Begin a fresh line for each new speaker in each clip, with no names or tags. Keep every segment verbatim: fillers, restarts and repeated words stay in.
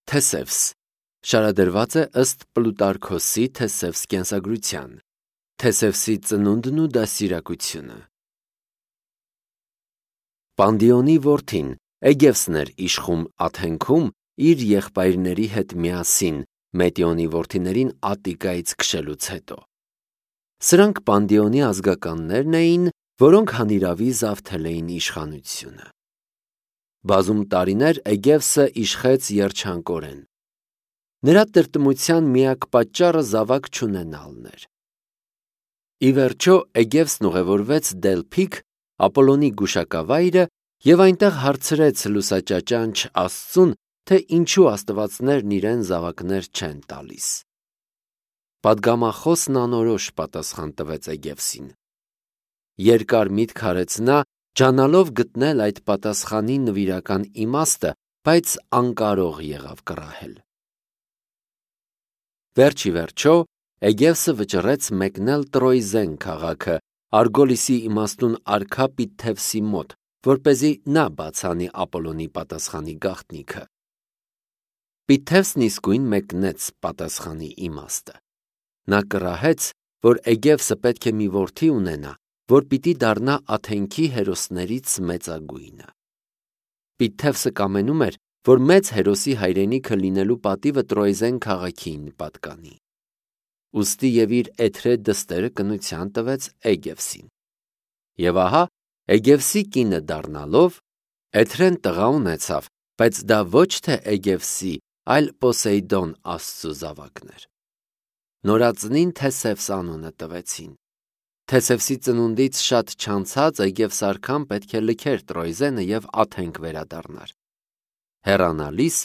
Թեսևս շարադրված է ըստ Պլուտարքոսի Թեսևս կենսագրության, Թեսևսի ծնունդն ու դաստիարակությունը։ Պանդիոնի որդին Էգևսն էր իշխում Աթենքում իր եղբայրների հետ միասին Մետիոնի որդիներին Ատտիկայից քշելուց հետո։ Սրանք Պանդիոնի ազգականներն էին, որոնք հանիրավի զավթել էին իշխանությունը։ Բազում տարիներ Էգևսը իշխեց երջանկորեն։ Նրա տրտմության միակ պատճառը զավակ չունենալն էր։ Ի վերջո Էգևսն ուղևորվեց Դելփիկ, Ապոլոնի գուշակավայրը, և այնտեղ հարցրեց լուսաճաճանչ Աստծուն, թե ինչու աստվածներն իրեն զավակներ չեն տալիս։ Պատգամախոսն անորոշ պատասխան տվեց Էգևսին։ Երկար միտք արեց նա, ջանալով գտնել այդ պատասխանի նվիրական իմաստը, բայց անկարող եղավ կռահել։ Վերջ ի վերջո Էգևսը վճռեց մեկնել Տրոյզեն քաղաքը Արգոլիսի իմաստուն արքա Պիթթևսի մոտ, որպեսզի նա բացանի Ապոլոնի պատասխանի գաղտնիքը։ Պիթթևսն իսկույն մեկնեց պատասխանի իմաստը։ Նա կռահեց, որ Էգևսը պետք է մի որդի ունենա, որ պիտի դառնա Աթենքի հերոսներից մեծագույնը։ Պիթթևսը կամենում էր, որ մեծ հերոսի հայրենիքը լինելու պատիվը Տրոյզեն քաղաքին պատկանի։ Ուստի և իր էթրե դստերը կնության տվեց Էգևսին։ Եվ ահա, Էգևսի կինը դառնալով, Էթրեն տղա ունեցավ, բայց դա ոչ թե Էգևսի, այլ Պոսեյդոն աստծու զավակն էր։ Նորածնին Թեսևս անունը տվեցին։ Թեսևսի ծնունդից շատ չանցած Էգևս արքան պետք է լքեր Տրոյզենը և Աթենք վերադառնար։ Հեռանալիս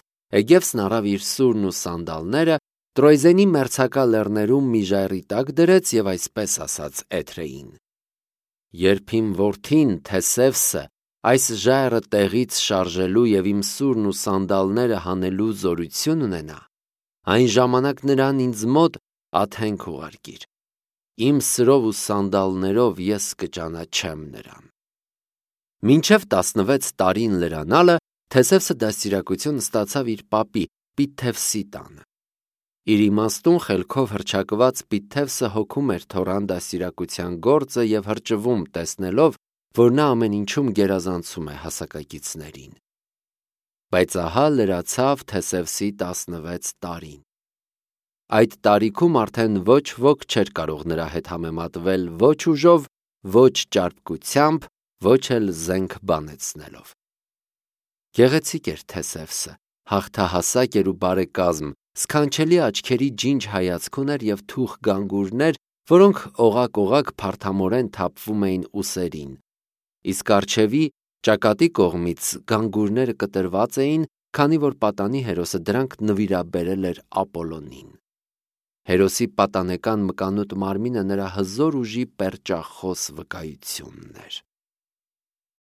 Էգևսն առավ իր սուրն ու սանդալները, Տրոյզենի մերձակա լեռներում մի ժայռի տակ դրեց և այսպես ասաց Էթրեին. «Երբ իմ որդին Թեսևսը այս ժայռը տեղից շարժելու և իմ սուրն ու սանդալները հանելու զորություն ունենա, այն ժամանակ նրան ինձ մոտ Աթենք ուղարկիր։ Իմ սրով ու սանդալներով ես կճանաչեմ նրան»։ Մինչև տասնվեց տարին լրանալը Թեսևսը դաստիարակություն ստացավ իր պապի Պիթթևսի տանը։ Իր իմաստուն խելքով հռչակված Պիթթևսը հոգում էր թոռան դաստիարակության գործը և հրճվում տեսնելով, որ նա ամեն ինչում գերազանցում է հասակակիցներին։ Բայց ահա լրացավ Թեսևսի տասնվեց տարին։ Այդ տարիքում արդեն ոչ ոք չէր կարող նրա հետ համեմատվել ոչ ուժով, ոչ ճարպկությամբ, ոչ էլ զենք բանեցնելով։ Գեղեցիկ էր Թեսևսը, հաղթահասակ էր ու բարեկազմ, սքանչելի աչքերի ջինջ հայացք ուներ և թուխ գանգուրներ, որոնք օղակ-օղակ փարթամորեն թափվում էին ուսերին, իսկ առջևի ճակատի կողմից գանգուրները կտրված էին, քանի որ պատանի հերոսը դրանք նվիրաբերել էր Ապոլոնին։ Հերոսի պատանեկան մկանուտ մարմինը նրա հզոր ուժի պերճախոս վկայությունն էր։